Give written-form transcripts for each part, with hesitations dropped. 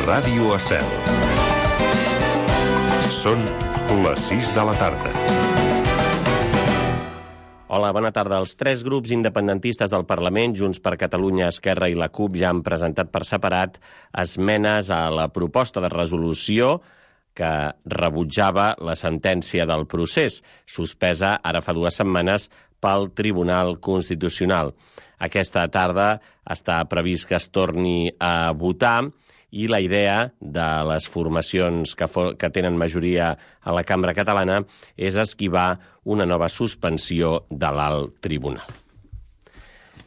Ràdio Estel. Són les 6 de la tarda. Hola, bona tarda. Els 3 grups independentistes del Parlament, Junts per Catalunya, Esquerra i la CUP, ja han presentat per separat esmenes a la proposta de resolució que rebutjava la sentència del procés, suspesa ara fa 2 setmanes pel Tribunal Constitucional. Aquesta tarda està previst que es torni a votar i la idea de les formacions que tenen majoria a la cambra catalana és esquivar una nova suspensió de l'alt tribunal.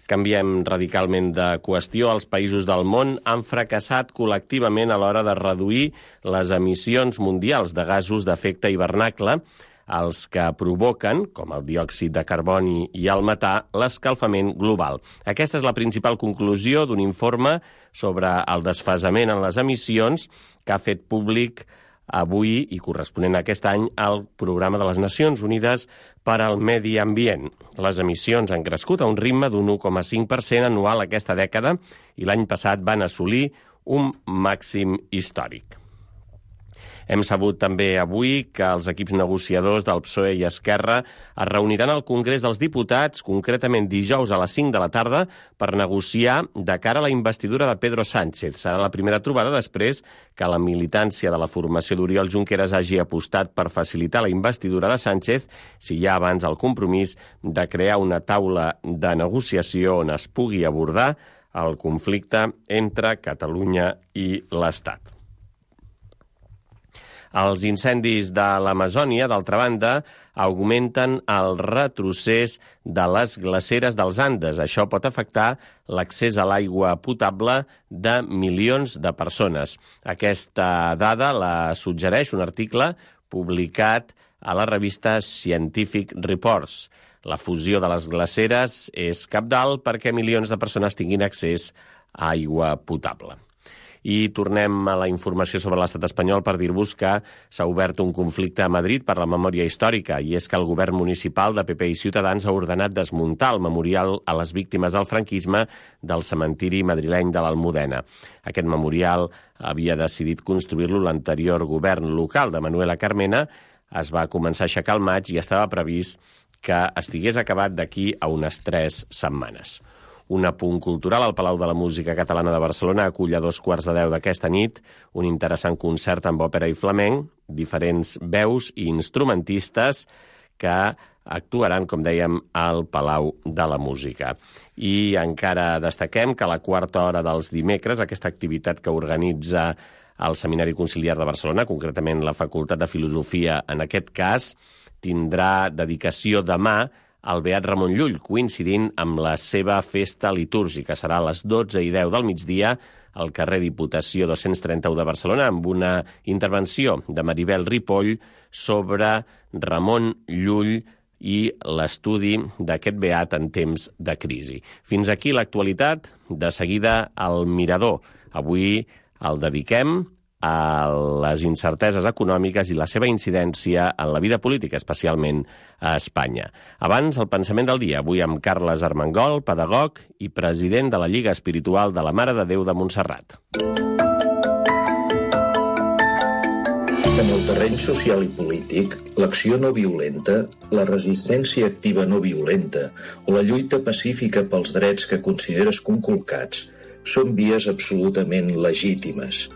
Canviem radicalment de qüestió. Els països del món han fracassat col·lectivament a l'hora de reduir les emissions mundials de gasos d'efecte hivernacle, els que provoquen, com el diòxid de carboni i el metà, l'escalfament global. Aquesta és la principal conclusió d'un informe sobre el desfasament en les emissions que ha fet públic avui i corresponent a aquest any al Programa de les Nacions Unides per al Medi Ambient. Les emissions han crescut a un ritme d'un 1,5% anual aquesta dècada i l'any passat van assolir un màxim històric. Hem sabut també avui que els equips negociadors del PSOE i Esquerra es reuniran al Congrés dels Diputats, concretament dijous a les 5 de la tarda, per negociar de cara a la investidura de Pedro Sánchez. Serà la primera trobada després que la militància de la formació d'Oriol Junqueras hagi apostat per facilitar la investidura de Sánchez, si hi ha abans el compromís de crear una taula de negociació on es pugui abordar el conflicte entre Catalunya i l'Estat. Els incendis de l'Amazònia, d'altra banda, augmenten el retrocés de les glaceres dels Andes. Això pot afectar l'accés a l'aigua potable de milions de persones. Aquesta dada la suggereix un article publicat a la revista Scientific Reports. La fusió de les glaceres és cabdal perquè milions de persones tinguin accés a aigua potable. I tornem a la informació sobre l'estat espanyol per dir-vos que s'ha obert un conflicte a Madrid per la memòria històrica, i és que el govern municipal de PP i Ciutadans ha ordenat desmuntar el memorial a les víctimes del franquisme del cementiri madrileny de l'Almudena. Aquest memorial havia decidit construir-lo l'anterior govern local de Manuela Carmena. Es va començar a aixecar al maig i estava previst que estigués acabat d'aquí a unes 3 setmanes. Un apunt cultural: al Palau de la Música Catalana de Barcelona acull a 2:15 d'aquesta nit un interessant concert amb òpera i flamenc, diferents veus i instrumentistes que actuaran, com dèiem, al Palau de la Música. I encara destaquem que a la quarta hora dels dimecres, aquesta activitat que organitza el Seminari Conciliar de Barcelona, concretament la Facultat de Filosofia en aquest cas, tindrà dedicació demà al Beat Ramon Llull, coincidint amb la seva festa litúrgica. Serà a les 12:10 del migdia al carrer Diputació 231 de Barcelona, amb una intervenció de Maribel Ripoll sobre Ramon Llull i l'estudi d'aquest beat en temps de crisi. Fins aquí l'actualitat. De seguida, el Mirador. Avui el dediquem a les incerteses econòmiques i la seva incidència en la vida política, especialment a Espanya. Abans, el pensament del dia, avui amb Carles Armengol, pedagog i president de la Lliga Espiritual de la Mare de Déu de Montserrat. En el terreny social i polític, l'acció no violenta, la resistència activa no violenta o la lluita pacífica pels drets que consideres conculcats són vies absolutament legítimes.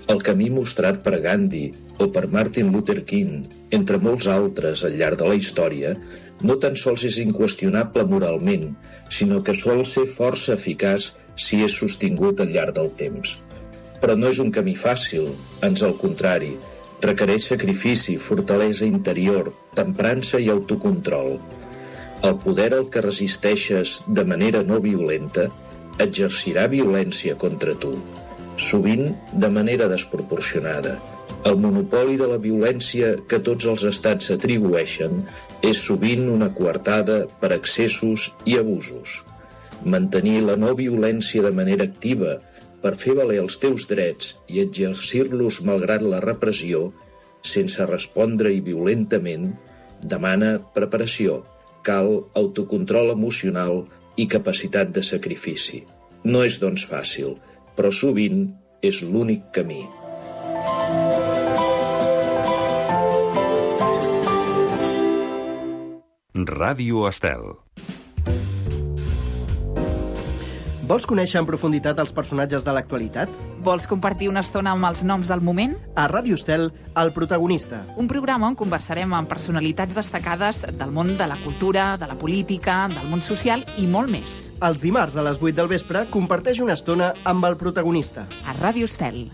El camí mostrat per Gandhi o per Martin Luther King, entre molts altres al llarg de la història, no tan sols és inqüestionable moralment, sinó que sol ser força eficaç si és sostingut al llarg del temps. Però no és un camí fàcil, ans al contrari, requereix sacrifici, fortalesa interior, temprança i autocontrol. El poder al que resisteixes de manera no violenta exercirà violència contra tu, sovint de manera desproporcionada. El monopoli de la violència que tots els estats s'atribueixen és sovint una coartada per excessos i abusos. Mantenir la no violència de manera activa per fer valer els teus drets i exercir-los malgrat la repressió, sense respondre i violentament, demana preparació, cal autocontrol emocional i capacitat de sacrifici. No és, doncs, fàcil, però sovint és l'únic camí. Ràdio Estel. Vols conèixer en profunditat els personatges de l'actualitat? Vols compartir una estona amb els noms del moment? A Ràdio Estel, El protagonista. Un programa on conversarem amb personalitats destacades del món de la cultura, de la política, del món social i molt més. Els dimarts a les 8 del vespre comparteix una estona amb El protagonista. A Ràdio Estel.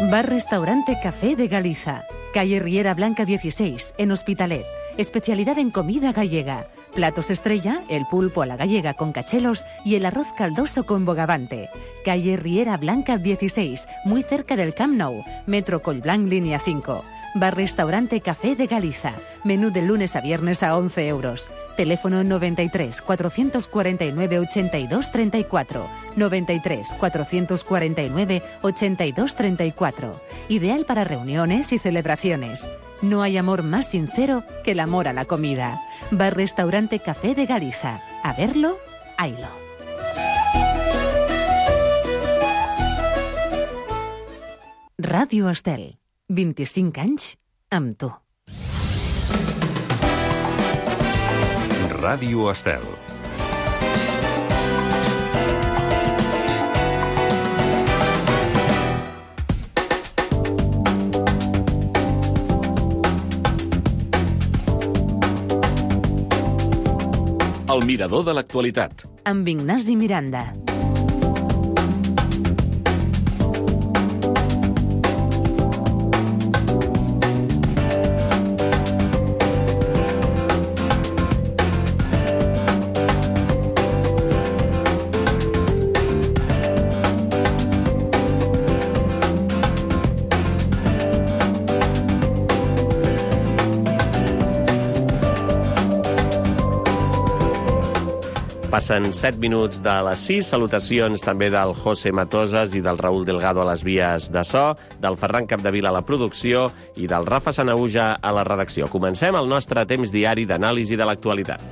Bar-restaurante Café de Galiza. Calle Riera Blanca 16, en Hospitalet. Especialidad en comida gallega. Platos estrella, el pulpo a la gallega con cachelos y el arroz caldoso con bogavante. Calle Riera Blanca 16, muy cerca del Camp Nou. Metro Collblanc, línea 5. Bar-restaurante Café de Galiza. Menú de lunes a viernes a 11 euros. Teléfono 93 449 82 34. 93 449 82 34. Ideal para reuniones y celebraciones. No hay amor más sincero que el amor a la comida. Bar-restaurante Café de Galiza. A verlo, haylo. Ràdio Estel. 25 anys amb tu. Ràdio Estel. El mirador de l'actualitat. Amb Ignasi Miranda. Passen 7 minuts de les 6. Salutacions també del José Matosas i del Raúl Delgado a les vies de so, del Ferran Capdevila a la producció i del Rafa Sanahuja a la redacció. Comencem el nostre temps diari d'anàlisi de l'actualitat.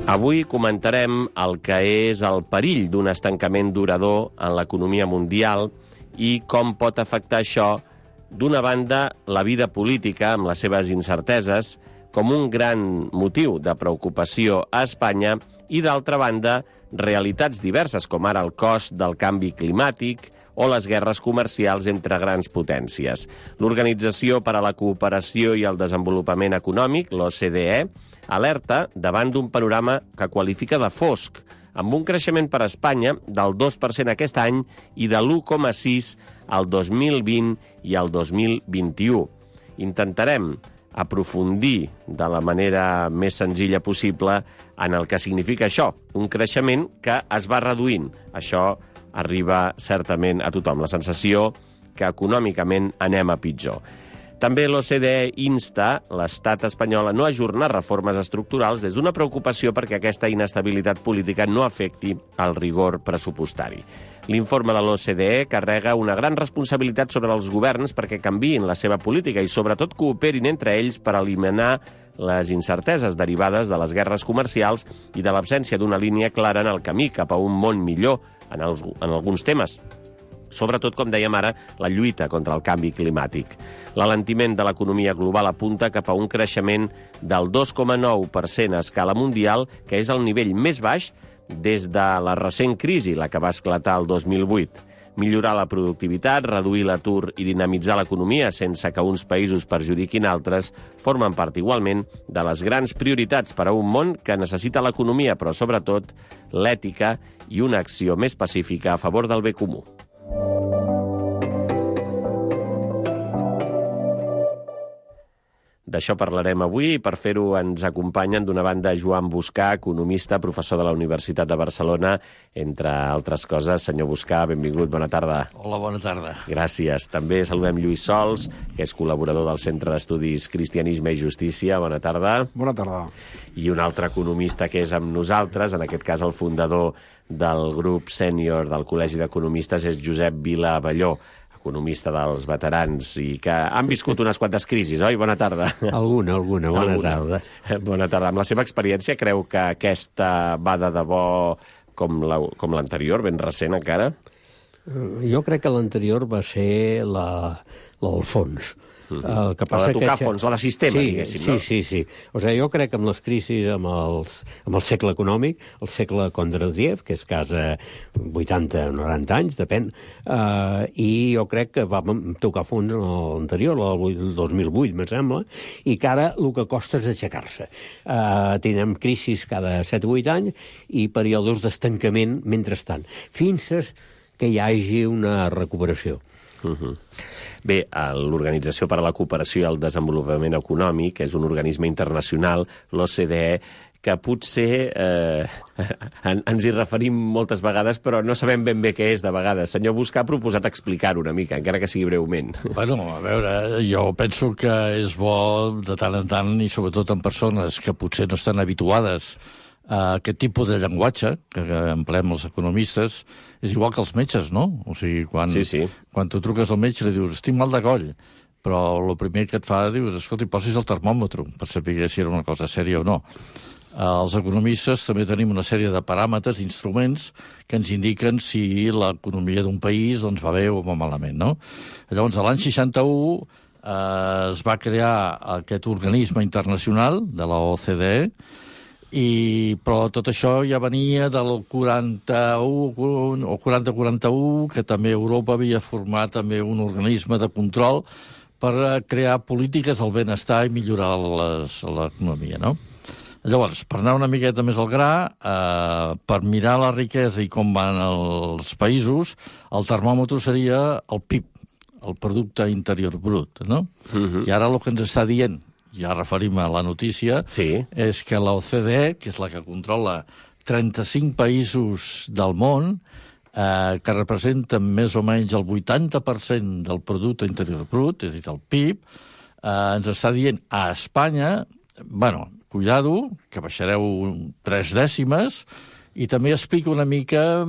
Avui comentarem el que és el perill d'un estancament durador en l'economia mundial i com pot afectar això, d'una banda, la vida política amb les seves incerteses, com un gran motiu de preocupació a Espanya, i d'altra banda, realitats diverses, com ara el cost del canvi climàtic o les guerres comercials entre grans potències. L'Organització per a la Cooperació i el Desenvolupament Econòmic, l'OCDE, alerta davant d'un panorama que qualifica de fosc, amb un creixement per a Espanya del 2% aquest any i de l'1,6% al 2020 i al 2021. Intentarem aprofundir de la manera més senzilla possible en el que significa això, un creixement que es va reduint. Això arriba certament a tothom, la sensació que econòmicament anem a pitjor. També l'OCDE insta l'estat espanyol a no ajornar reformes estructurals des d'una preocupació perquè aquesta inestabilitat política no afecti el rigor pressupostari. L'informe de l'OCDE carrega una gran responsabilitat sobre els governs perquè canviïn la seva política i sobretot cooperin entre ells per eliminar les incerteses derivades de les guerres comercials i de l'absència d'una línia clara en el camí cap a un món millor en alguns temes. Sobretot, com dèiem ara, la lluita contra el canvi climàtic. L'alentiment de l'economia global apunta cap a un creixement del 2,9% a escala mundial, que és el nivell més baix des de la recent crisi, la que va esclatar el 2008. Millorar la productivitat, reduir l'atur i dinamitzar l'economia sense que uns països perjudiquin altres formen part igualment de les grans prioritats per a un món que necessita l'economia, però sobretot l'ètica i una acció més pacífica a favor del bé comú. D'això parlarem avui i per fer-ho ens acompanyen d'una banda Joan Buscà, economista, professor de la Universitat de Barcelona, entre altres coses. Senyor Buscà, benvingut, bona tarda. Hola, bona tarda. Gràcies. També saludem Lluís Sols, que és col·laborador del Centre d'Estudis Cristianisme i Justícia. Bona tarda. Bona tarda. I un altre economista que és amb nosaltres, en aquest cas el fundador del grup sènior del Col·legi d'Economistes, és Josep Vila Abelló, economista dels veterans i que han viscut unes quantes crisis, oi? Bona tarda. Alguna. Bona tarda. Bona tarda. Amb la seva experiència, creu que aquesta va de debò com l'anterior, ben recent encara? Jo crec que l'anterior va ser la del fons. La de tocar fons, la de sistema, diguéssim, no? Sí. O sigui, jo crec que amb les crisis, amb el segle econòmic, el segle Kondratiev, que és casa 80 o 90 anys, depèn, i jo crec que vam tocar fons en l'anterior, el 2008, me sembla, i que ara el que costa és aixecar-se. Tindrem crisis cada 7 o 8 anys i períodes d'estancament mentrestant, fins que hi hagi una recuperació. Bé, l'Organització per a la Cooperació i el Desenvolupament Econòmic és un organisme internacional, l'OCDE, que potser ens hi referim moltes vegades, però no sabem ben bé què és de vegades. Senyor Busca ha proposat explicar-ho una mica, encara que sigui breument. Bueno, a veure, jo penso que és bo de tant en tant, i sobretot en persones que potser no estan habituades a aquest tipus de llenguatge que empleem els economistes, és igual que els metges, no? O sigui, quan tu truques al metge i li dius estic mal de coll, però el primer que et fa dius, escolta, posis el termòmetre per saber si era una cosa sèria o no. Els economistes també tenim una sèrie de paràmetres, instruments, que ens indiquen si l'economia d'un país doncs, va bé o va malament, no? Llavors, l'any 61 es va crear aquest organisme internacional de la OCDE, però tot això ja venia del 41 o 40-41, que també Europa havia format també un organisme de control per crear polítiques del benestar i millorar l'economia, no? Llavors, per anar una miqueta més al gra, per mirar la riquesa i com van els països, el termòmetre seria el PIB, el Producte Interior Brut, no? I ara el que ens està dient, ja referim a la notícia, és que l'OCDE, que és la que controla 35 països del món, que representen més o menys el 80% del Producte Interior Brut, és a dir, el PIB, ens està dient a Espanya, bueno, cuidado, que baixareu 3 dècimes, i també explica una mica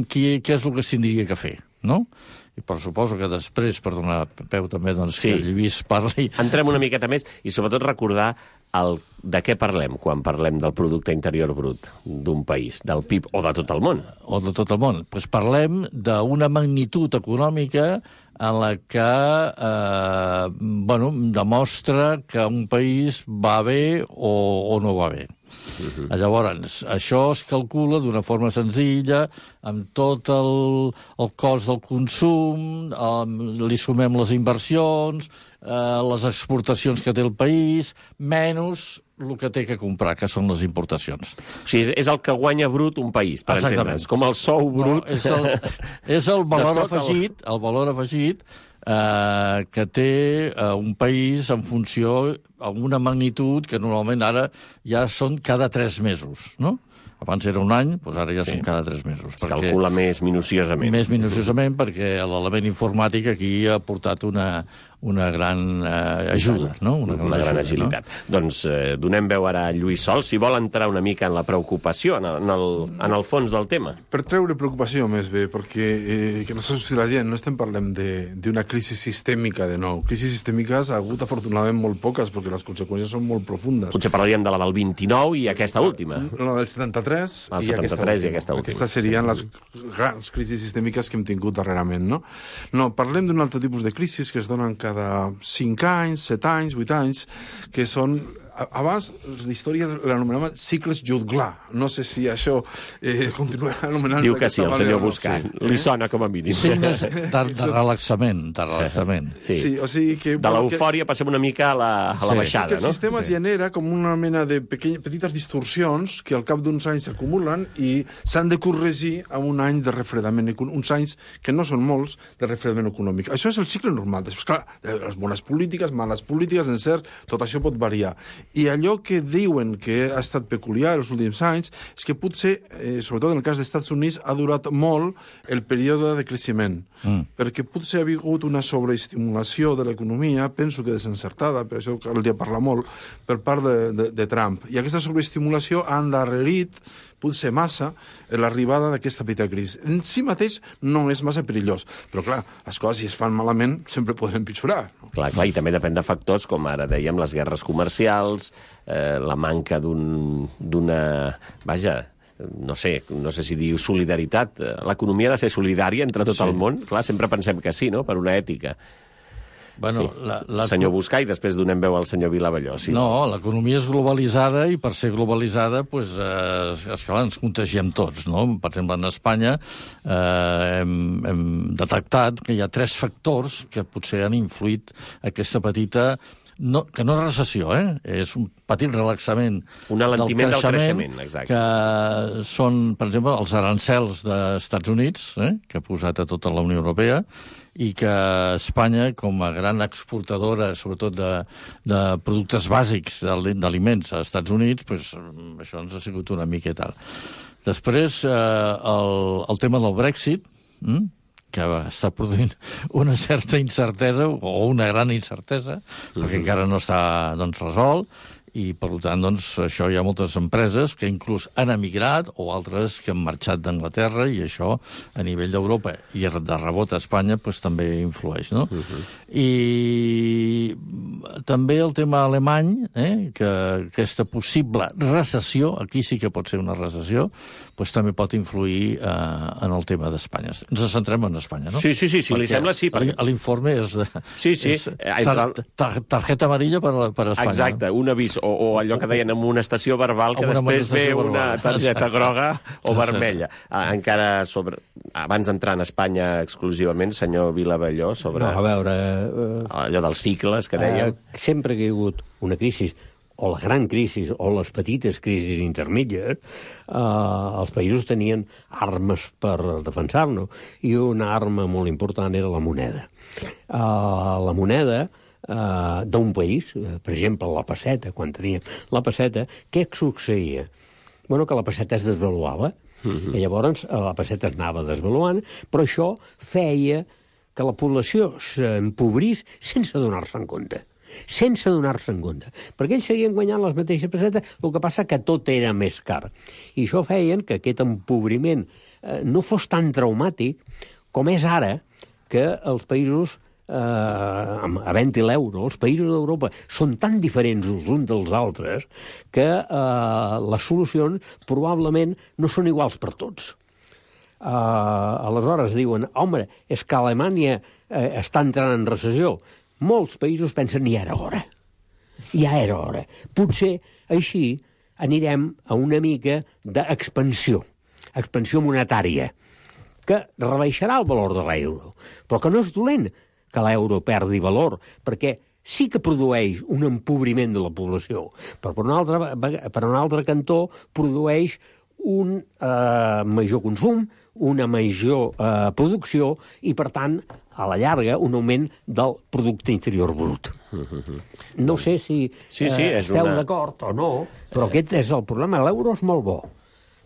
què és el que s'hauria que fer, no? I per suposo que després, per donar peu també, doncs, que el Lluís parli... Entrem una miqueta més i sobretot recordar de què parlem quan parlem del Producte Interior Brut d'un país, del PIB o de tot el món. O de tot el món. Doncs parlem d'una magnitud econòmica en la que demostra que un país va bé o no va bé. Llavors, això es calcula d'una forma senzilla, amb tot el cost del consum, li sumem les inversions, les exportacions que té el país, menys el que té que comprar, que són les importacions. O sigui, és el que guanya brut un país, per entendre'ns, com el sou brut. No, és el valor afegit, que té un país en funció amb una magnitud que normalment ara ja són cada 3 mesos, no? Abans era un any, doncs ara ja són cada 3 mesos. Es calcula més minuciosament. Més minuciosament, perquè l'element informàtic aquí ha portat una gran ajuda, no? Una gran agilitat. No? Doncs donem veu ara a Lluís Sol, si vol entrar una mica en la preocupació, en el fons del tema. Per treure preocupació, més bé, perquè que no s'assusti la gent, no estem parlant d'una crisi sistèmica de nou. Crisis sistèmiques ha hagut afortunadament molt poques, perquè les conseqüències són molt profundes. Potser parlaríem de la del 29 i aquesta última. La del 73 i aquesta última. Aquestes serien les grans crisis sistèmiques que hem tingut darrerament, no? No, parlem d'un altre tipus de crisis que es donen cada 5 anys, 7 anys, 8 anys, que són... Abans, l'història l'anomenava cicles Jutglar. No sé si això continua anomenant... Diu que sí, el senyor Busca. Li sona com a mínim. Signes de relaxament. Sí, o sigui que... De l'eufòria passem una mica a la baixada, no? El sistema genera com una mena de petites distorsions que al cap d'uns anys s'acumulen i s'han de corregir amb un any de refredament econòmic, uns anys que no són molts de refredament econòmic. Això és el cicle normal. Després, clar, les bones polítiques, males polítiques, encert, tot això pot variar. I allò que diuen que ha estat peculiar els últims anys és que potser, sobretot en el cas dels Estats Units, ha durat molt el període de creixement, perquè potser ha hagut una sobreestimulació de l'economia, penso que desencertada, per això caldria parlar molt, per part de Trump. I aquesta sobreestimulació ha endarrerit pot ser massa l'arribada d'aquesta petita crisi. En si mateix no és massa perillós, però clar, les coses si es fan malament sempre poden empitjorar. No? Clar, i també depèn de factors, com ara dèiem, les guerres comercials, la manca d'una... Vaja, no sé si diu solidaritat. L'economia ha de ser solidària entre tot el món. Clar, sempre pensem que sí, no?, per una ètica. Bueno, sí. Senyor Buscà, i després donem veu al senyor Vilavelló. Sí. No, l'economia és globalitzada i per ser globalitzada pues, esclar, ens contagiem tots. No? Per exemple, en Espanya hem detectat que hi ha 3 factors que potser han influït aquesta petita... No, que no és recessió, és un petit relaxament un alentiment del creixement, exacte. Que són, per exemple, els arancels dels Estats Units, que ha posat a tota la Unió Europea, i que Espanya, com a gran exportadora, sobretot de productes bàsics d'aliments als Estats Units, pues, això ens ha sigut una mica i tal. Després, el tema del Brexit, que està produint una certa incertesa, o una gran incertesa, perquè encara no està resolt, i, per tant, això hi ha moltes empreses que inclús han emigrat o altres que han marxat d'Anglaterra i això, a nivell d'Europa i de rebot a Espanya, també influeix, no? I també el tema alemany, que aquesta possible recessió, aquí sí que pot ser una recessió, també pot influir en el tema d'Espanya. Ens centrem en Espanya, no? Sí, si li sembla, sí. L'informe és tarjeta amarilla per Espanya. Exacte, un avís, o allò que deien en una estació verbal, que després ve una targeta groga o vermella. Encara sobre... Abans d'entrar en Espanya exclusivament, senyor Vilavelló, sobre allò dels cicles que dèiem. Sempre que hi ha hagut una crisi, o la gran crisi, o les petites crisis intermèdies, els països tenien armes per defensar-nos, i una arma molt important era la moneda. La moneda d'un país, per exemple, la pesseta, quan teníem la pesseta, què succeïa? Bueno, que la pesseta es desvaluava, i llavors la pesseta es anava desvaluant, però això feia que la població s'empobrís sense donar-se en compte. Perquè ells seguien guanyant les mateixes pessetes, el que passa que tot era més car. I això feien que aquest empobriment no fos tan traumàtic com és ara, que els països, havent-hi l'euro, els països d'Europa són tan diferents els uns dels altres que les solucions probablement no són iguals per tots. Aleshores diuen, home, és que Alemanya està entrant en recessió. Molts països pensen, ja era hora. Potser així anirem a una mica d'expansió monetària, que rebaixarà el valor de l'euro, però que no és dolent que l'euro perdi valor, perquè sí que produeix un empobriment de la població, però per un altre cantó produeix un major consum, una major producció i, per tant, a la llarga, un augment del producte interior brut. No sé si esteu d'acord o no, però aquest és el problema. L'euro és molt bo,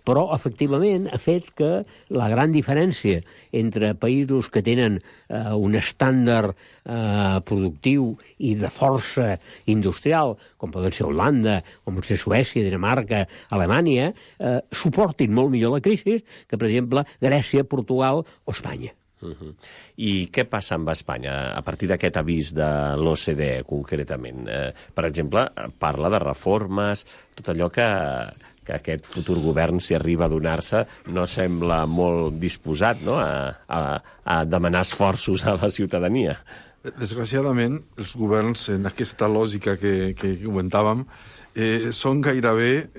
però, efectivament, ha fet que la gran diferència entre països que tenen un estàndard productiu i de força industrial, com poden ser Holanda, com pot ser Suècia, Dinamarca, Alemanya, suportin molt millor la crisi que, per exemple, Grècia, Portugal o Espanya. I què passa amb Espanya a partir d'aquest avís de l'OCDE, concretament? Per exemple, parla de reformes, tot allò que aquest futur govern, si arriba a donar-se, no sembla molt disposat, no?, a demanar esforços a la ciutadania. Desgraciadament, els governs, en aquesta lògica que comentàvem, són gairebé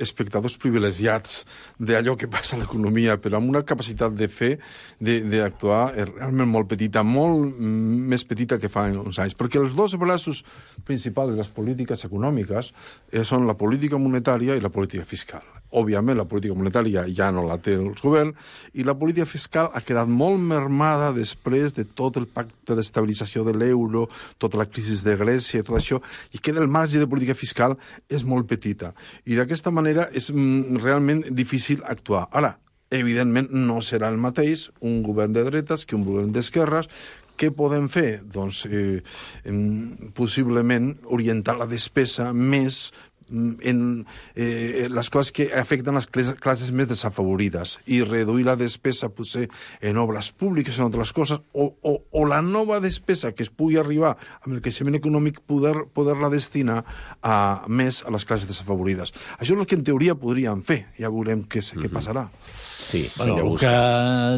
espectadors privilegiats d'allò que passa a l'economia, però amb una capacitat de fer, d'actuar realment molt petita, molt més petita que fa uns anys. Perquè els dos braços principals de les polítiques econòmiques són la política monetària i la política fiscal. Òbviament, la política monetària ja no la té el govern i la política fiscal ha quedat molt mermada després de tot el pacte d'estabilització de l'euro, tota la crisi de Grècia i tot això, i queda el marge de política fiscal és molt petita. I d'aquesta manera és realment difícil actuar. Ara, evidentment, no serà el mateix un govern de dretes que un govern d'esquerres. Què podem fer? Doncs, possiblement, orientar la despesa més en les coses que afecten les classes més desafavorides i reduir la despesa potser en obres públiques, en altres coses, o la nova despesa que es pugui arribar amb el creixement econòmic poder-la destinar més a les classes desafavorides. Això és el que en teoria podríem fer, ja veurem què passarà. Sí, el que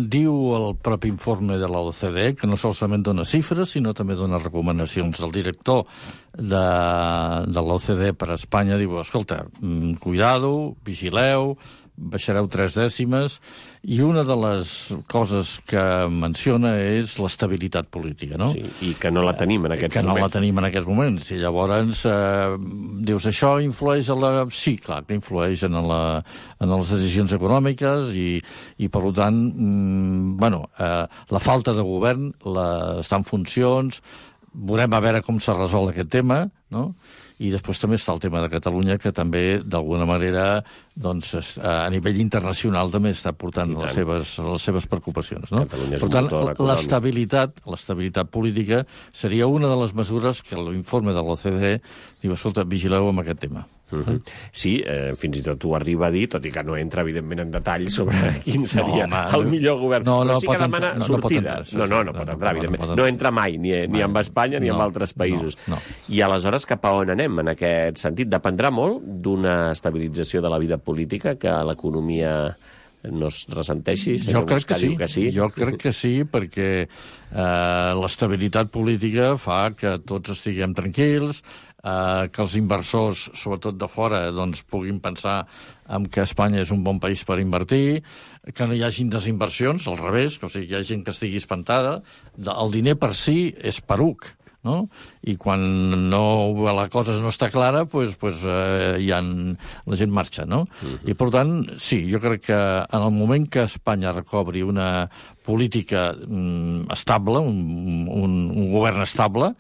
diu el propi informe de la OCDE, que no solament dona xifres, sinó també dona recomanacions. El director de l'OCDE per a Espanya diu, escolta, cuidado, vigileu, baixareu 3 dècimes, i una de les coses que menciona és l'estabilitat política, no? Sí, i que no la tenim en aquests moments. Que no la tenim en aquests moments. I llavors dius, això influeix a la... Sí, clar, que influeix en les decisions econòmiques i per tant, la falta de govern està en funcions, veurem a veure com se resol aquest tema, no? I després també està el tema de Catalunya, que també, d'alguna manera, doncs, a nivell internacional també està portant les seves preocupacions. No? Per tant, l'estabilitat política seria una de les mesures que l'informe de l'OCDE diu, escolta, vigileu amb aquest tema. Sí, fins i tot ho arriba a dir, tot i que no entra, evidentment, en detall sobre quin seria el millor govern. Però sí que demana sortida. No pot entrar, evidentment. No entra mai, ni amb Espanya ni amb altres països. I aleshores, cap a on anem en aquest sentit? Dependrà molt d'una estabilització de la vida política, que l'economia no es ressenteixi? Jo crec que sí. Jo crec que sí, perquè l'estabilitat política fa que tots estiguem tranquils, que els inversors, sobretot de fora, doncs, puguin pensar en que Espanya és un bon país per invertir, que no hi hagin desinversions, al revés, que hi ha gent que estigui espantada. El diner per si és peruc, no? I quan la cosa no està clara, la gent marxa, no? I, per tant, sí, jo crec que en el moment que Espanya recobri una política estable, un govern estable,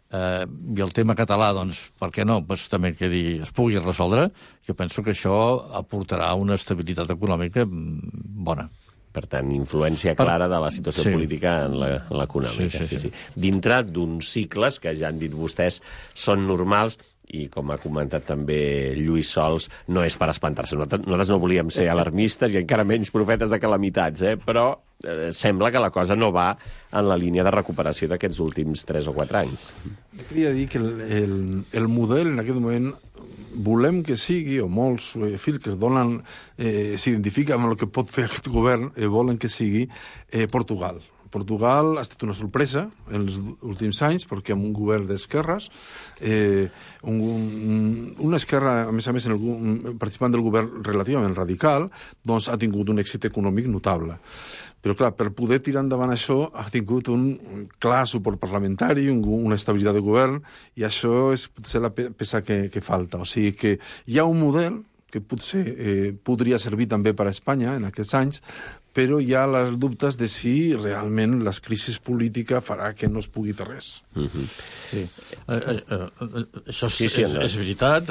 i el tema català, doncs, per què no? També que es pugui resoldre, jo penso que això aportarà una estabilitat econòmica bona. Per tant, influència clara de la situació política en l'econòmica. Sí. Dintre d'uns cicles que ja han dit vostès són normals, i com ha comentat també Lluís Sols, no és per espantar-se. Nosaltres no volíem ser alarmistes i encara menys profetes de calamitats, però sembla que la cosa no va en la línia de recuperació d'aquests últims 3 o 4 anys. Jo queria dir que el model en aquest moment volem que sigui, o molts fils que s'identifiquen amb el que pot fer aquest govern, volen que sigui Portugal. Portugal ha estat una sorpresa en els últims anys, perquè amb un govern d'esquerres, una esquerra, a més, participant del govern relativament radical, doncs ha tingut un èxit econòmic notable. Però, clar, per poder tirar endavant això ha tingut un clar suport parlamentari, una estabilitat de govern, i això és potser la peça que falta. O sigui que hi ha un model que potser podria servir també per a Espanya en aquests anys, però hi ha les dubtes de si realment la crisi política farà que no es pugui fer res. Sí. Això és veritat.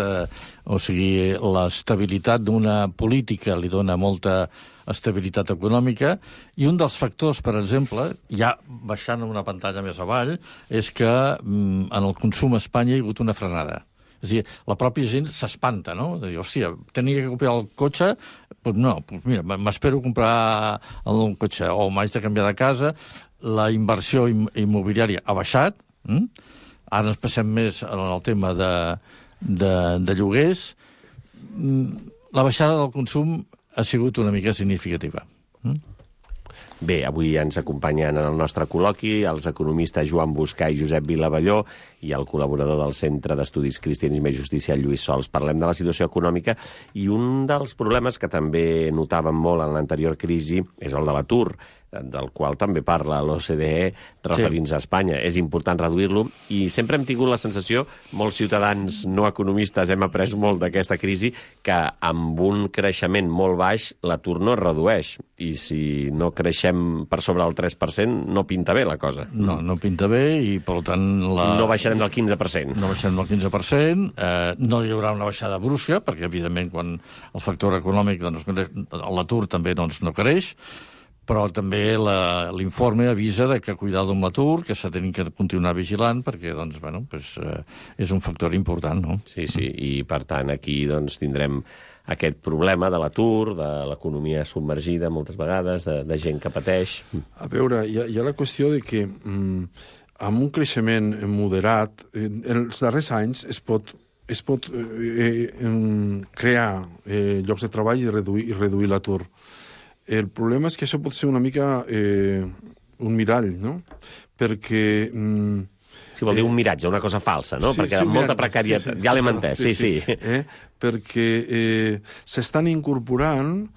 O sigui, l'estabilitat d'una política li dona molta estabilitat econòmica, i un dels factors, per exemple, ja baixant una pantalla més avall, és que en el consum a Espanya hi ha hagut una frenada. És a dir, la pròpia gent s'espanta, no? De dir, hòstia, tenia que comprar el cotxe, doncs no, mira, m'espero comprar el cotxe, o m'haig de canviar de casa, la inversió immobiliària ha baixat, ara ens passem més en el tema de lloguers, la baixada del consum ha sigut una mica significativa. Bé, avui ens acompanyen en el nostre col·loqui els economistes Joan Buscà i Josep Vilavelló i el col·laborador del Centre d'Estudis Cristianisme i Justícia, Lluís Sols. Parlem de la situació econòmica i un dels problemes que també notàvem molt en l'anterior crisi és el de l'atur, del qual també parla l'OCDE referint-se a Espanya. És important reduir-lo i sempre hem tingut la sensació, molts ciutadans no economistes hem après molt d'aquesta crisi, que amb un creixement molt baix l'atur no es redueix, i si no creixem per sobre del 3% no pinta bé la cosa. No pinta bé i per tant no baixarem del 15%. No baixarem del 15%, no hi haurà una baixada brusca, perquè evidentment quan el factor econòmic, doncs, l'atur també no creix, però també l'informe avisa de que cuidado amb l'atur, que s'ha de continuar vigilant, perquè doncs, és un factor important, no? Sí, i per tant aquí doncs, tindrem aquest problema de l'atur, de l'economia submergida moltes vegades, de gent que pateix. A veure, hi ha la qüestió de que amb un creixement moderat, en els darrers anys es pot crear llocs de treball i reduir l'atur. El problema és que això pot ser una mica un mirall, no? Perquè... Si vol dir un miratge, una cosa falsa, no? Perquè molta precarietat... Ja l'hem entès, sí. Perquè s'estan incorporant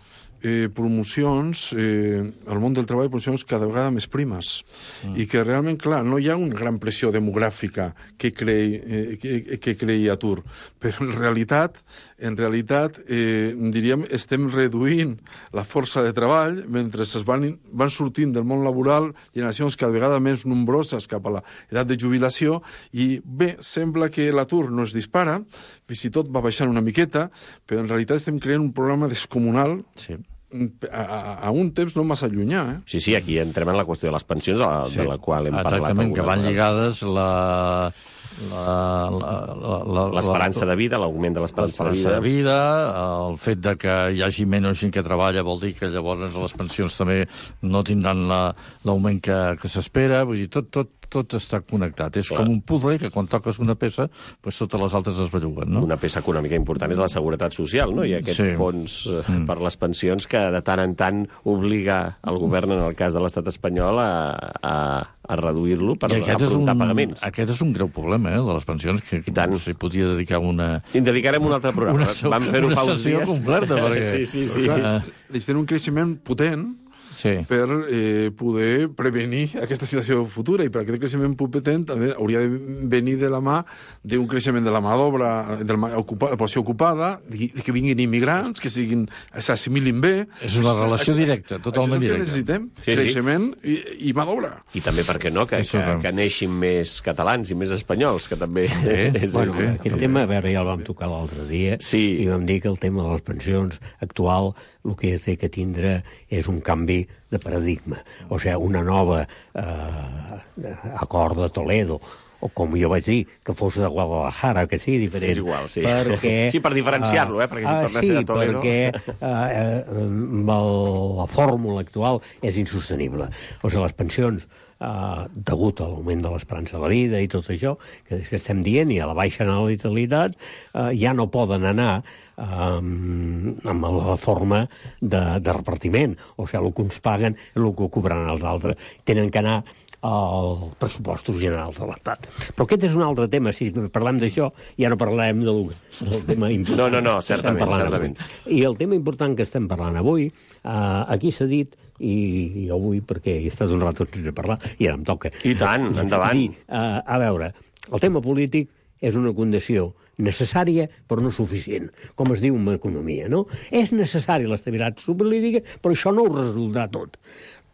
promocions al món del treball, promocions cada vegada més primes, i que realment, clar, no hi ha una gran pressió demogràfica que creï atur, però en realitat diríem, estem reduint la força de treball mentre van sortint del món laboral generacions cada vegada més nombroses cap a l'edat de jubilació, i bé, sembla que l'atur no es dispara, fins i tot va baixant una miqueta, però en realitat estem creant un problema descomunal a un temps no massa llunyà. Sí, aquí entrem en la qüestió de les pensions, de la qual hem parlat. Exactament, que van lligades l'esperança de vida, l'augment de l'esperança de vida, el fet de que hi hagi menys gent que treballa vol dir que llavors les pensions també no tindran l'augment que s'espera, vull dir, tot està connectat. És com un puzzle que quan toques una peça, totes les altres es belluguen, no? Una peça econòmica important és la seguretat social, no? I aquest fons per les pensions que de tant en tant obliga el govern, en el cas de l'estat espanyol, a reduir-lo per afrontar pagaments. Aquest és un greu problema, de les pensions, que s'hi podia dedicar una... I en dedicarem un altre programa. Vam fer-ho fa uns dies. Una sessió completa, perquè... Sí. Necessitem un creixement potent per poder prevenir aquesta situació futura, i per aquest creixement potent també hauria de venir de la mà d'un creixement de la mà d'obra, de la població ocupada, que vinguin immigrants, que s'assimilin bé. És una relació directa, totalment directa. Això és el que necessitem, creixement i mà d'obra. I també, per què no, que neixin més catalans i més espanyols, que també... Aquest tema, a veure, ja el vam tocar l'altre dia, i vam dir que el tema de les pensions actual el que té que tindre és un canvi de paradigma, o sigui, una nova acord de Toledo, o com jo vaig dir, que fos de Guadalajara, que sigui diferent. És igual, sí. Sí, per diferenciar-lo, perquè si torna a ser de Toledo... perquè la fórmula actual és insostenible. O sigui, les pensions, degut a l'augment de l'esperança de la vida i tot això, que estem dient, i a la baixa natalitat, ja no poden anar amb la forma de repartiment. O sigui, el que uns paguen és el que cobraran els altres. Tenen que anar als pressupostos generals de l'Estat. Però aquest és un altre tema. Si parlem d'això, ja no parlarem del tema important. No, certament. I el tema important que estem parlant avui, aquí s'ha dit, i jo vull, perquè he estat un rato sense parlar, i ara em toca. I tant, endavant. A veure, el tema polític és una condició necessària però no suficient, com es diu en economia, no? És necessària l'estabilitat política, però això no ho resoldrà tot.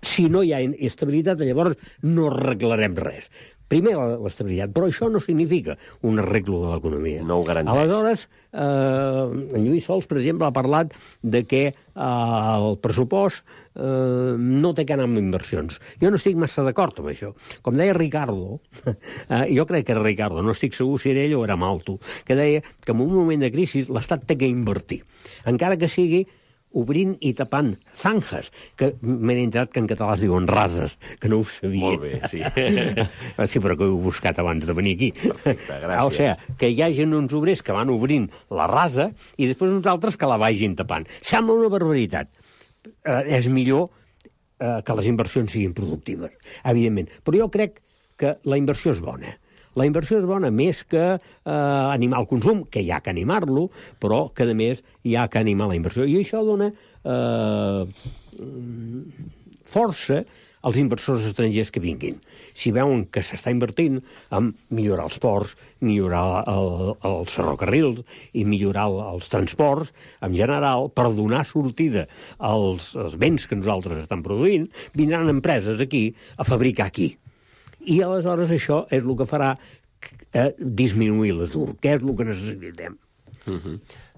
Si no hi ha estabilitat, llavors no arreglarem res. Primer l'estabilitat, però això no significa un arreglo de l'economia. No ho garanteix. Aleshores, en Lluís Sols, per exemple, ha parlat de que el pressupost no té que anar amb inversions. Jo no estic massa d'acord amb això. Com deia Ricardo, jo crec que era Ricardo, no estic segur si era ell o era Malto, que deia que en un moment de crisi l'Estat té que invertir, encara que sigui obrint i tapant zanjas, que m'he enterat que en català es diuen rases, que no ho sabia. Molt bé, sí. Sí, però que ho he buscat abans de venir aquí. Perfecte, gràcies. O sigui, que hi hagi uns obrers que van obrint la rasa i després uns altres que la vagin tapant. Sembla una barbaritat. És millor que les inversions siguin productives, evidentment. Però jo crec que la inversió és bona. La inversió és bona més que animar el consum, que hi ha que animar-lo, però que, a més, hi ha que animar la inversió. I això dona força als inversors estrangers que vinguin. Si veuen que s'està invertint en millorar els ports, millorar els ferrocarrils i millorar els transports, en general, per donar sortida als béns que nosaltres estem produint, vindran empreses aquí a fabricar aquí. I aleshores això és el que farà disminuir l'atur, que és el que necessitem.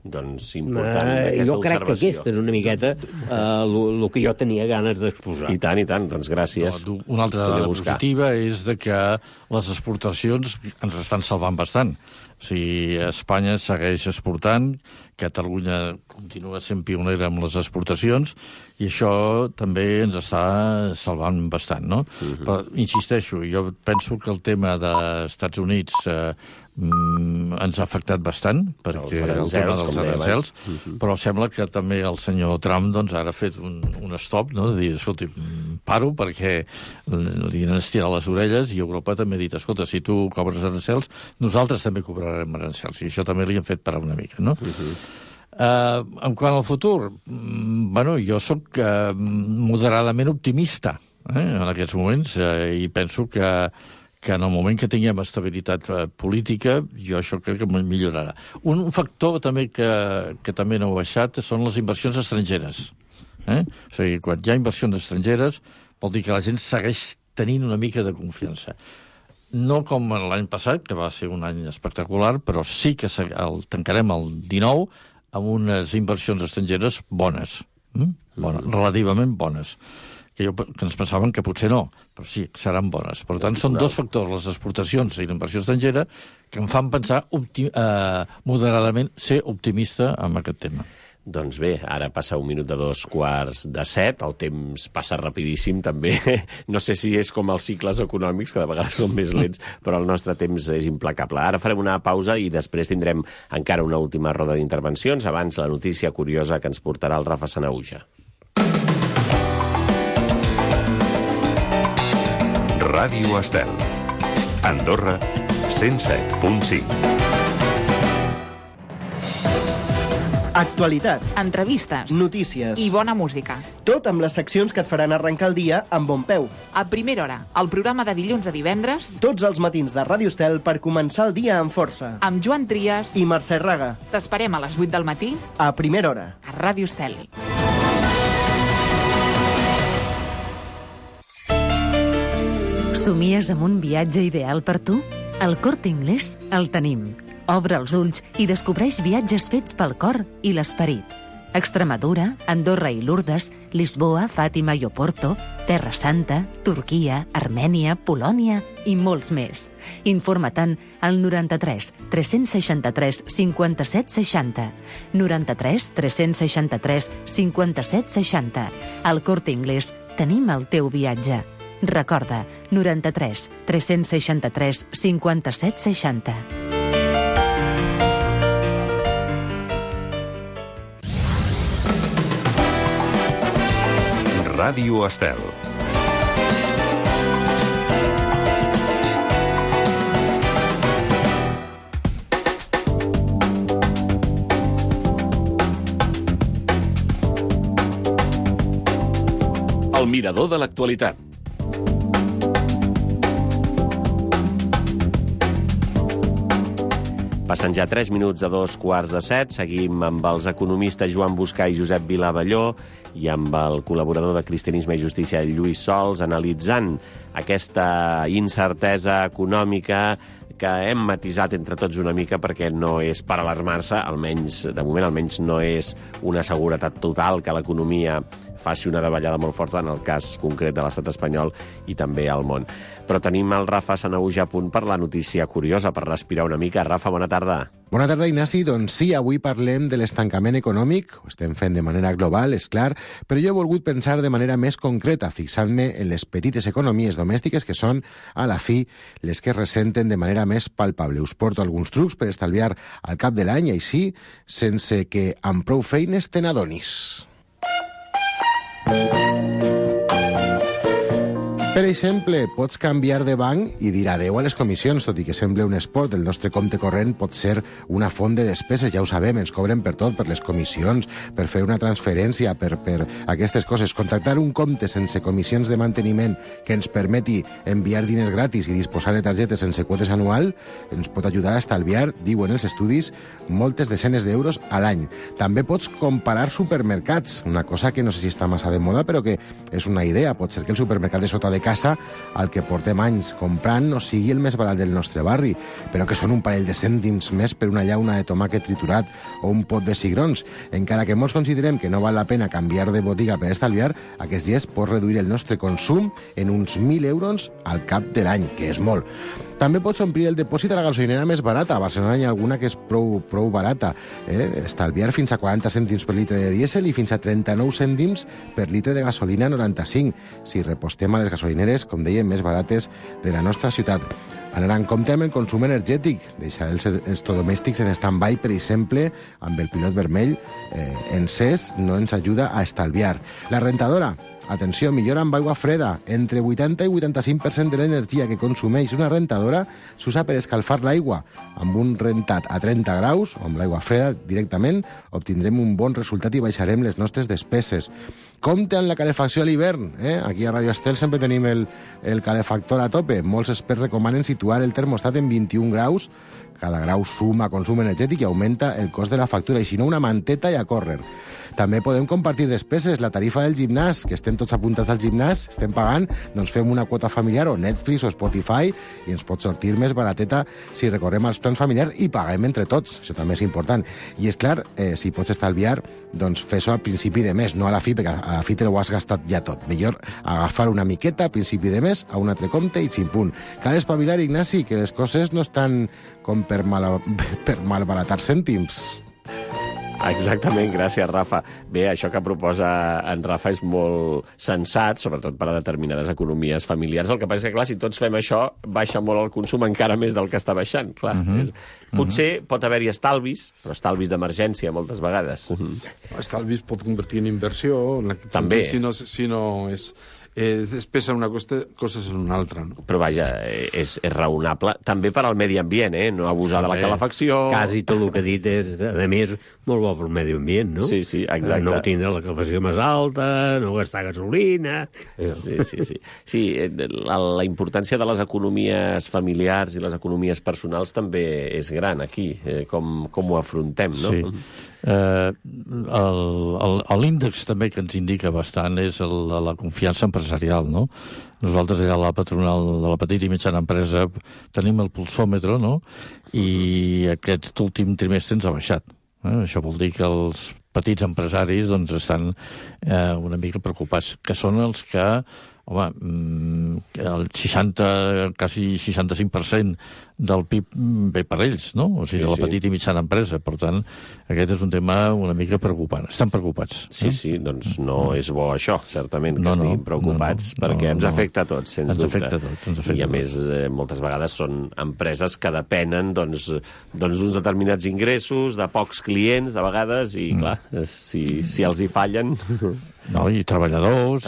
doncs, important aquesta jo crec que observació. aquesta és una miqueta el que jo tenia ganes d'exposar. I tant, doncs gràcies. No, una altra dada positiva és de que les exportacions ens estan salvant bastant. O sigui, Espanya segueix exportant, Catalunya continua sent pionera amb les exportacions, i això també ens està salvant bastant, no? Però, insisteixo, jo penso que el tema dels Estats Units ens ha afectat bastant, perquè el tema dels arancels, però sembla que també el senyor Trump doncs, ara ha fet un stop, no? De dir, escolta, paro perquè li han estirat les orelles, i Europa també ha dit, escolta, si tu cobres arancels, nosaltres també cobrarem arancels, i això també li han fet parar una mica, no? En quant al futur, bueno, jo sóc moderadament optimista en aquests moments, i penso que en el moment que tinguem estabilitat política, jo això crec que millorarà. Un factor també que també no ha baixat són les inversions estrangeres. O sigui, quan hi ha inversions estrangeres, vol dir que la gent segueix tenint una mica de confiança. No com l'any passat, que va ser un any espectacular, però sí que tancarem el 19 amb unes inversions estrangeres bones, relativament bones, que ens pensaven que potser no, però sí, seran bones. Per tant, són dos factors, les exportacions i la inversió estrangera, que em fan pensar moderadament ser optimista amb aquest tema. Doncs bé, ara passa 1 minut de 6:45, el temps passa rapidíssim també. No sé si és com els cicles econòmics, que de vegades són més lents, però el nostre temps és implacable. Ara farem una pausa i després tindrem encara una última roda d'intervencions. Abans, la notícia curiosa que ens portarà el Rafa Sanahuja. Ràdio Estel. Andorra, 107.5. Actualitat, Entrevistes. notícies I bona música. Tot amb les seccions que et faran arrencar el dia amb bon peu. A primera hora, el programa de dilluns a divendres, Tots els matins de Ràdio Estel per començar el dia amb força. amb Joan Trias. I Mercè Raga, T'esperem a les 8 del matí a primera hora. a Ràdio Estel. Somies amb un viatge ideal per tu? Al Corte Inglés el tenim. Obre els ulls i descobreix viatges fets pel cor i l'esperit. Extremadura, Andorra i Lourdes, Lisboa, Fàtima i Oporto, Terra Santa, Turquia, Armènia, Polònia i molts més. Informa-te'n al 93 363 57 60. 93 363 57 60. Al Corte Inglés tenim el teu viatge. Recorda, 93 363 57 60. Ràdio Estel. El mirador de l'actualitat. Passen ja 3 minuts de 6:45. Seguim amb els economistes Joan Buscà i Josep Vilavelló i amb el col·laborador de Cristianisme i Justícia, Lluís Sols, analitzant aquesta incertesa econòmica que hem matisat entre tots una mica perquè no és per alarmar-se, almenys de moment almenys no és una seguretat total que l'economia faci una davallada molt forta en el cas concret de l'estat espanyol i també al món. Però tenim el Rafa Sanahuja a punt per la notícia curiosa, per respirar una mica. Rafa, bona tarda. Bona tarda, Ignasi. Doncs sí, avui parlem de l'estancament econòmic. Ho estem fent de manera global, és clar, però jo he volgut pensar de manera més concreta, fixant-me en les petites economies domèstiques que són, a la fi, les que es ressenten de manera més palpable. Us porto alguns trucs per estalviar al cap de l'any, així, sense que amb prou feines te n'adonis. Per exemple, pots canviar de banc i dir adeu a les comissions, tot i que sembla un esport. El nostre compte corrent pot ser una font de despeses, ja ho sabem, ens cobren per tot, per les comissions, per fer una transferència, per aquestes coses. Contractar un compte sense comissions de manteniment que ens permeti enviar diners gratis i disposar de targetes sense quotes anual ens pot ajudar a estalviar, diuen els estudis, moltes desenes d'euros a l'any. També pots comparar supermercats, una cosa que no sé si està massa de moda, però que és una idea. Pot ser que el supermercat de sota de casa al que portem anys comprant no sigui el més barat del nostre barri, però que són un parell de cèntims més per una llauna de tomàquet triturat o un pot de cigrons. Encara que molts considerem que no val la pena canviar de botiga per estalviar, aquests dies pots reduir el nostre consum en uns 1.000 euros al cap de l'any, que és molt. També pots omplir el dipòsit a la gasolinera més barata. A Barcelona hi ha alguna que és prou barata. Estalviar fins a 40 cèntims per litre de dièsel i fins a 39 cèntims per litre de gasolina 95, si repostem a les gasolineres, com dèiem, més barates de la nostra ciutat. Anar en compte amb el consum energètic, deixar els electrodomèstics en stand-by, per exemple, amb el pilot vermell encès, no ens ajuda a estalviar. La rentadora, atenció, millora amb aigua freda. Entre 80 i 85% de l'energia que consumeix una rentadora s'usa per escalfar l'aigua. Amb un rentat a 30 graus, o amb l'aigua freda directament, obtindrem un bon resultat i baixarem les nostres despeses. Compte amb la calefacció a l'hivern. Aquí a Radio Estel sempre tenim el calefactor a tope. Molts experts recomanen situar el termostat en 21 graus. Cada grau suma consum energètic i augmenta el cost de la factura, i si no, una manteta i a córrer. També podem compartir despeses. La tarifa del gimnàs, que estem tots apuntats al gimnàs, estem pagant, doncs fem una quota familiar o Netflix o Spotify i ens pot sortir més barateta si recorrem als plans familiars i paguem entre tots. Això també és important. I és clar, si pots estalviar, doncs fes-ho a principi de mes, no a la fi, perquè a la fi te ho has gastat ja tot. Millor agafar una miqueta a principi de mes a un altre compte i ximpun. Cal espavilar, Ignasi, que les coses no estan com per malbaratar cèntims. Exactament, gràcies, Rafa. Bé, això que proposa en Rafa és molt sensat, sobretot per a determinades economies familiars. El que passa és que, clar, si tots fem això, baixa molt el consum encara més del que està baixant. Clar. Potser pot haver-hi estalvis, però estalvis d'emergència moltes vegades. Estalvis pot convertir en inversió. També. Si no és... despesa una cosa és una altra, no? Però vaja, és raonable també per al medi ambient, no abusar de la calefacció. Quasi tot el que ha dit és, a més, molt bo pel medi ambient, no? Sí, exacte. No tindre la calefacció més alta, no gastar gasolina... Sí, la importància de les economies familiars i les economies personals també és gran aquí, com ho afrontem, no? Sí. L'índex també que ens indica bastant és la confiança empresarial, no? Nosaltres allà a la patronal de la petita i mitjana empresa tenim el pulsòmetre, no? I aquest últim trimestre ens ha baixat. Això vol dir que els petits empresaris doncs, estan una mica preocupats, que són els que el 60, quasi 65% del PIB ve per ells, no? O sigui, de la petita i mitjana empresa. Per tant, aquest és un tema una mica preocupant. Estan preocupats. Sí, doncs no és bo això, certament, que estiguin preocupats, perquè ens afecta a tots, sens dubte. Ens afecta I, a més, moltes vegades són empreses que depenen d'uns determinats ingressos, de pocs clients, de vegades, i, clar, si els hi fallen... No, i treballadors,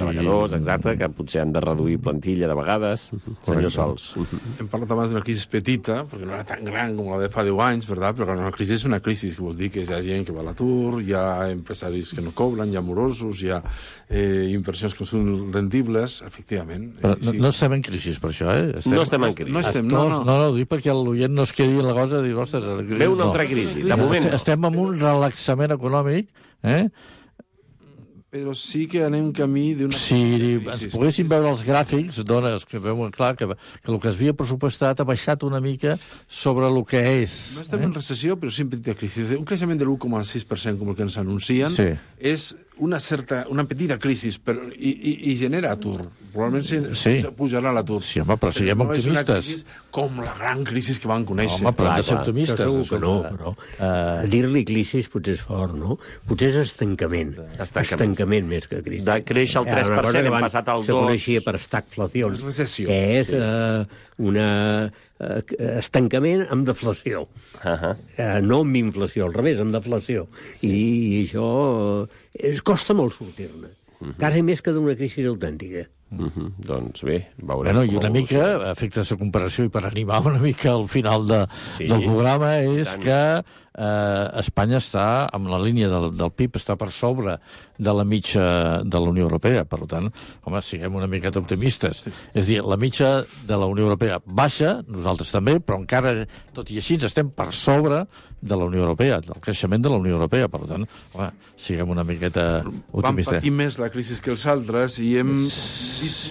exacte, que potser han de reduir plantilla de vegades. Senyor Sols. Hem parlat abans d'una crisi petita, perquè no era tan gran com la de fa 10 anys, ¿verdad? Però una crisi és una crisi, que vol dir que hi ha gent que va a l'atur, hi ha empresaris que no cobren, hi ha morosos, hi ha inversions que són rendibles, efectivament. Però no estem en crisi, per això, No estem en crisi. No, ho dic perquè l'oient no es quedi en la cosa de dir, ostres... Ve una altra crisi, de moment. Estem en un relaxament econòmic, però sí que anem camí d'una... Si ens poguéssim veure els gràfics, dones que veuen clar que el que es havia pressupostat ha baixat una mica sobre el que és. No estem en recessió, però sí en petita crisi. Un creixement de l'1,6%, com el que ens anuncien, és una petita crisi i genera atur. Probablement pujarà l'atur. Sí, home, però siguem optimistes. No és una crisi com la gran crisi que van conèixer. Home, però hem de ser optimistes. Segur que no, però dir-li crisi potser és fort, no? Potser és estancament. Estancament més que crisi. De créixer el 3%, hem passat al 2%. Se coneixia per estagflació, que és un estancament amb deflació. No amb inflació, al revés, amb deflació. I això costa molt sortir-ne. Quasi més que d'una crisi autèntica. Doncs bé, veurem. I una mica, a efectes de comparació i per animar una mica al final del programa, és que Espanya està, amb la línia del PIB, està per sobre de la mitja de la Unió Europea. Per tant, home, siguem una miqueta optimistes. És a dir, la mitja de la Unió Europea baixa, nosaltres també, però encara, tot i així, estem per sobre de la Unió Europea, del creixement de la Unió Europea. Per tant, home, siguem una miqueta optimistes. Vam patir més la crisi que els altres i hem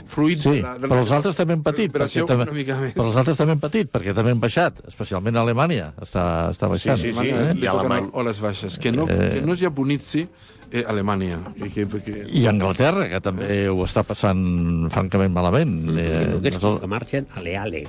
fruit Sí, de la però els altres també han patit. recuperació econòmica més. Però els altres també han patit, perquè també han baixat, especialment a Alemanya. Està baixant. Sí, Li toquen oles baixes. Que no es japonitzi Alemanya. I Anglaterra, que també ho està passant francament malament. Que marxen ale.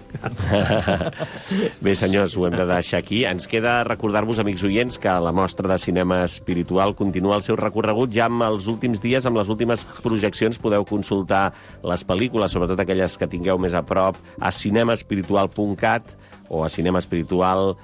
Bé, senyors, ho hem de deixar aquí. Ens queda recordar-vos, amics oients, que la mostra de cinema espiritual continua el seu recorregut ja amb els últims dies, amb les últimes projeccions. Podeu consultar les pel·lícules, sobretot aquelles que tingueu més a prop, a cinemaespiritual.cat o a cinemaespiritual.gencat.